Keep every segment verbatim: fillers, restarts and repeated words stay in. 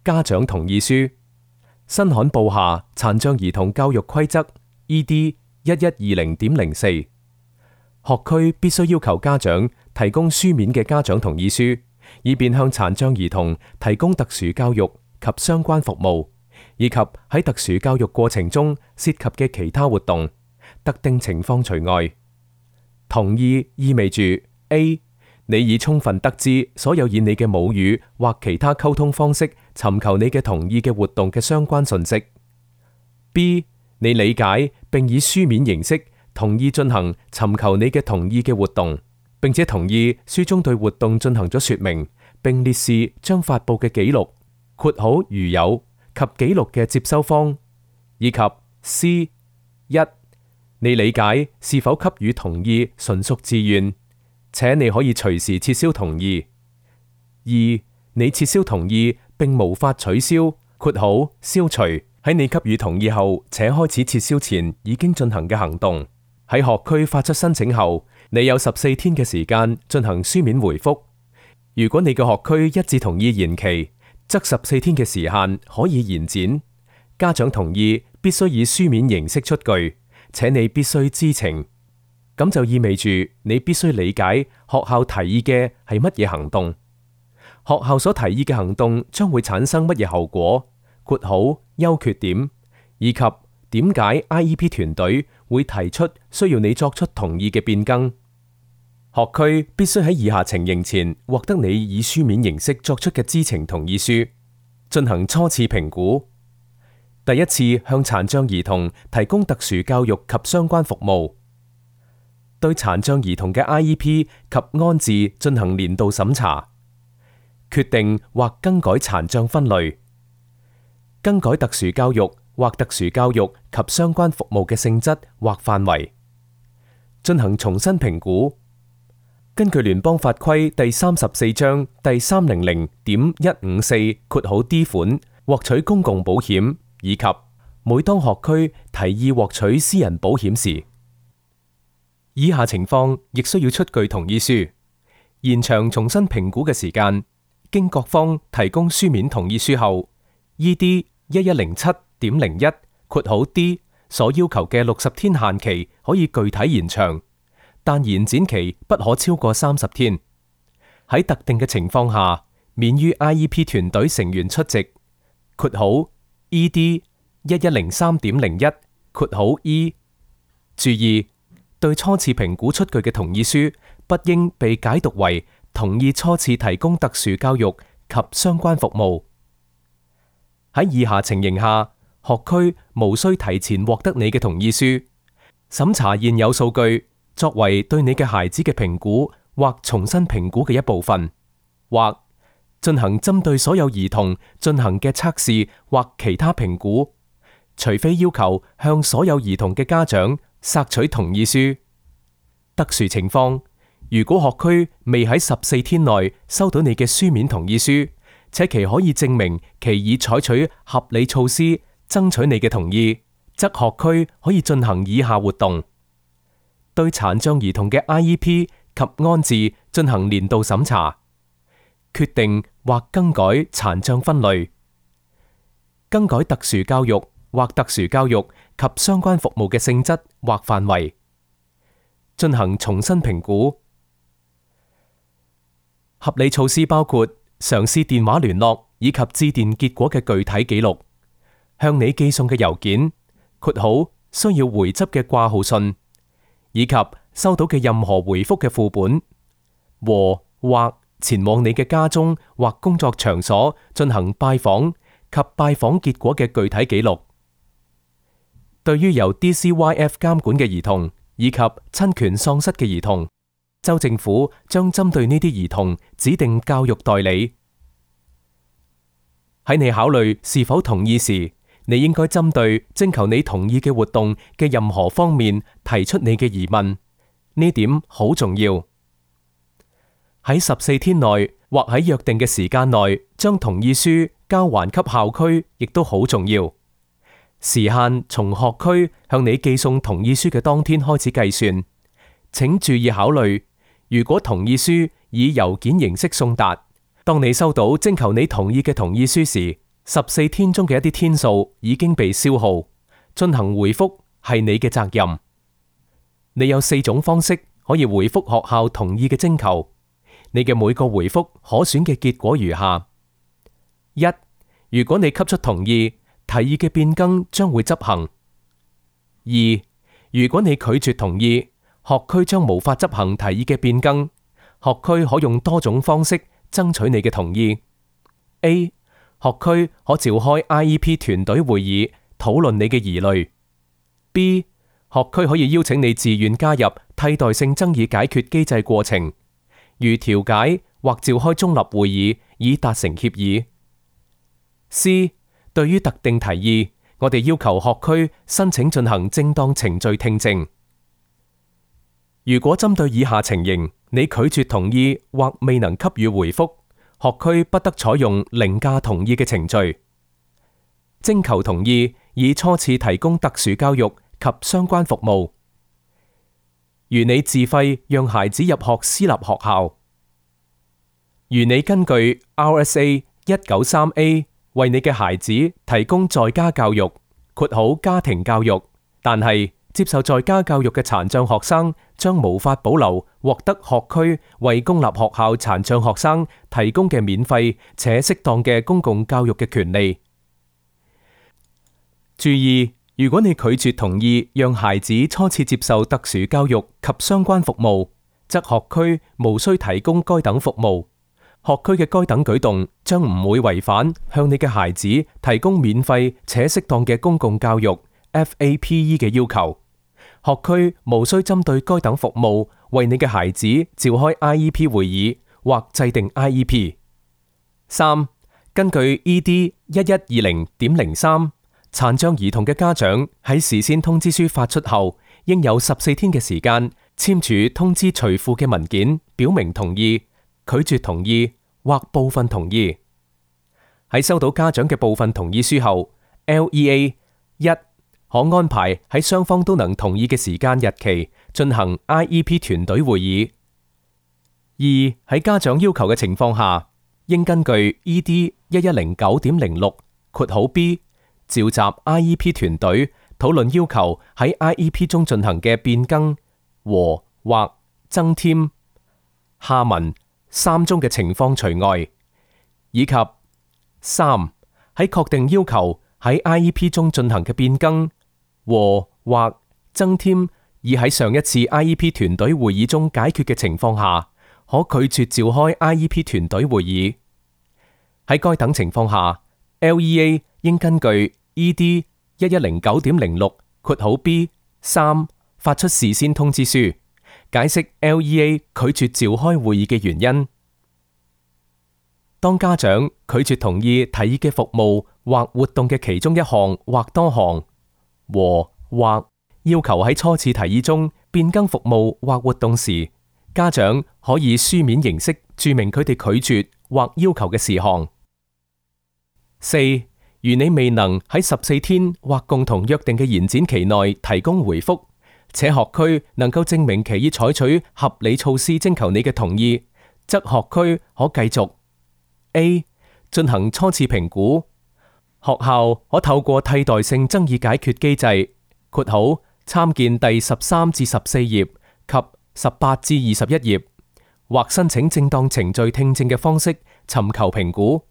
家長同意書，新罕布夏殘障兒童教育規則 E D 一一二零點零四，學區必須要求家長提供書面嘅家長同意書，以便向殘障兒童提供特殊教育及相關服務，以及喺特殊教育過程中涉及嘅其他活動，特定情況除外。同意意味住 A. 你已充分得知所有以你嘅母語或其他溝通方式尋求你嘅同意嘅活動嘅相關訊息。B. 你理解並以書面形式同意進行尋求你嘅同意嘅活動，並且同意書中對活動進行咗說明，並列示將發佈嘅記錄（括號如有）及記錄嘅接收方，以及 C. 一. 你理解是否給予同意純屬自願，且你可以隨時撤銷同意。二、你撤銷同意並無法取消（括號消除）喺你給予同意後且開始撤銷前已經進行嘅行動。喺學區發出申請後，你有十四天嘅時間進行書面回覆。如果你嘅學區一致同意延期，則十四天嘅時限可以延展。家長同意必須以書面形式出具，且你必須知情。咁就意味住你必須理解學校提議嘅係乜嘢行動，學校所提議嘅行動將會產生乜嘢後果（括號優缺點），以及點解 I E P 團隊會提出需要你作出同意嘅變更。學區必須喺以下情形前獲得你以書面形式作出嘅知情同意書：進行初次評估，第一次向殘障兒童提供特殊教育及相關服務，對殘障兒童嘅 I E P 及安置進行年度審查，決定或更改殘障分類，更改特殊教育或特殊教育及相關服務嘅性質或範圍，進行重新評估。根據聯邦法規第三十四章第三零零點一五四括號 D 款獲取公共保險，以及每當學區提議獲取私人保險時，以下情況亦需要出具同意書：延長重新評估嘅時間，經各方提供書面同意書後 ，E D 一一零七點零一括號 D 所要求嘅六十天限期可以具體延長，但延展期不可超過三十天。喺特定嘅情況下，免於 I E P 團隊成員出席（括號 E D 一一零三點零一括號 E）。注意，對初次評估出具嘅同意書不應被解讀為同意初次提供特殊教育及相關服務。喺以下情形下，學區無需提前獲得你嘅同意書，審查現有數據作為對你嘅孩子嘅評估或重新評估嘅一部分，或進行針對所有兒童進行嘅測試或其他評估，除非要求向所有兒童嘅家長索取同意書。特殊情況，如果學區未喺十四天內收到你嘅書面同意書，且其可以證明其已採取合理措施爭取你嘅同意，則學區可以進行以下活動：對殘障兒童嘅 I E P 及安置進行年度審查，決定或更改殘障分類，更改特殊教育或特殊教育及相關服務嘅性質或範圍，進行重新評估。合理措施包括嘗試電話聯絡以及致電結果嘅具體記錄，向你寄送嘅郵件（括號需要回執嘅掛號信），以及收到嘅任何回覆嘅副本，和或前往你嘅家中或工作場所進行拜訪及拜訪結果嘅具體記錄。對於由 D C Y F 監管嘅兒童以及親權喪失嘅兒童，州政府將針對呢啲兒童指定教育代理。喺你考慮是否同意時，你應該針對徵求你同意嘅活動嘅任何方面提出你嘅疑問，呢點好重要。喺十四天內或喺約定嘅時間內將同意書交還給校區，亦都好重要。時限從學區向你寄送同意書嘅當天開始計算。請注意考慮，如果同意書以郵件形式送達，當你收到徵求你同意嘅同意書時，十四天中嘅一啲天數已經被消耗，進行回覆係你嘅責任。你有四種方式可以回覆學校同意嘅徵求，你嘅每個回覆可選嘅結果如下：一、如果你給出同意，提議嘅變更將會執行；二、如果你拒絕同意，學區將無法執行提議嘅變更，學區可用多種方式爭取你嘅同意。A. 學區可召開 I E P 團隊會議討論你嘅疑慮。B. 學區可以邀請你自願加入替代性爭議解決機制過程，如調解或召開中立會議以達成協議。C. 對於特定提議，我哋要求學區申請進行正當程序聽證。如果針對以下情形，你拒絕同意或未能給予回覆，學區不得採用凌駕同意嘅程序。徵求同意以初次提供特殊教育及相關服務，如你自費讓孩子入學私立學校，如你根據 R S A 一九三 A 為你嘅孩子提供在家教育（括號家庭教育），但係接受在家教育嘅殘障學生將無法保留獲得學區為公立學校殘障學生提供嘅免費且適當嘅公共教育嘅權利。注意，如果你拒絕同意讓孩子初次接受特殊教育及相關服務，則學區無需提供該等服務。學區嘅該等舉動將唔會違反向你嘅孩子提供免費且適當嘅公共教育 F A P E 嘅要求。學區無需針對該等服務為你嘅孩子召開 I E P 會議或制定 I E P。三、根據 E D 一一二零點零三，殘障兒童嘅家長喺事先通知書發出後，應有十四天嘅時間簽署通知隨附嘅文件，表明同意、拒絕同意或部分同意。喺收到家長嘅部分同意書後 ，L E A 一可安排喺雙方都能同意嘅時間日期進行 I E P 團隊會議。二、喺家長要求嘅情況下，應根據 E D 一一零九點零六括號 B 召集 I E P 團隊討論要求喺 I E P 中進行嘅變更和或增添下文三宗嘅情況除外，以及三、喺確定要求喺 I E P 中進行嘅變更和或增添已喺上一次 I E P 團隊會議中解決嘅情況下，可拒絕召開 I E P 團隊會議。喺該等情況下 ，L E A 應根據 E D 一一零九點零六括號 B 三發出事先通知書，解釋 L E A 拒絕召開會議嘅原因。當家長拒絕同意提議嘅服務或活動嘅其中一項或多項，和或要求喺初次提議中變更服務或活動時，家長可以書面形式註明佢哋拒絕或要求嘅事項。四、如你未能喺十四天或共同約定嘅延展期內提供回覆，且學區能夠證明其已採取合理措施徵求你嘅同意，則學區可繼續 A 進行初次評估。學校可透過替代性爭議解決機制（括號參見第十三至十四頁及十八至二十一頁）或申請正當程序聽證嘅方式尋求評估。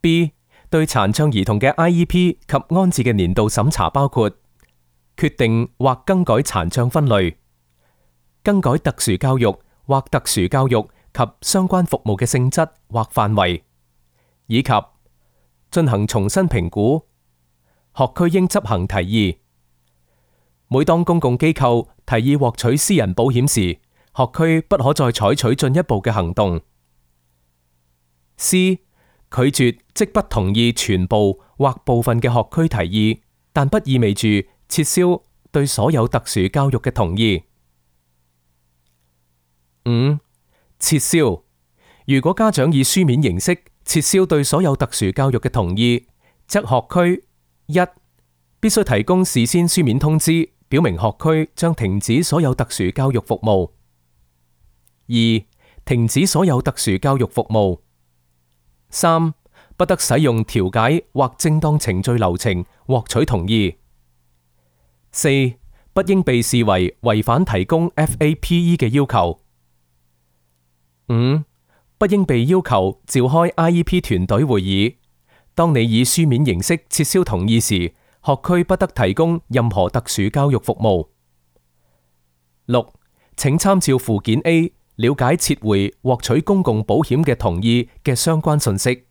B 對殘障兒童嘅 I E P 及安置嘅年度審查包括決定或更改殘障分類、更改特殊教育或特殊教育及相關服務嘅性質或範圍，以及進行重新評估。學區應執行提議。每當公共機構提議獲取私人保險時，學區不可再採取進一步嘅行動。C 拒絕即不同意全部或部分嘅學區提議，但不意味住撤銷對所有特殊教育嘅同意。五、撤銷。如果家長以書面形式撤銷對所有特殊教育嘅同意，則學區一必須提供事先書面通知，表明學區將停止所有特殊教育服務。二、停止所有特殊教育服務。三、不得使用調解或正當程序流程獲取同意。四、不應被視為違反提供 F A P E 嘅要求。五、不應被要求召開 I E P 團隊會議。當你以書面形式撤銷同意時，學區不得提供任何特殊教育服務。六、請參照附件 A，了解撤回獲取公共保險嘅同意嘅相關信息。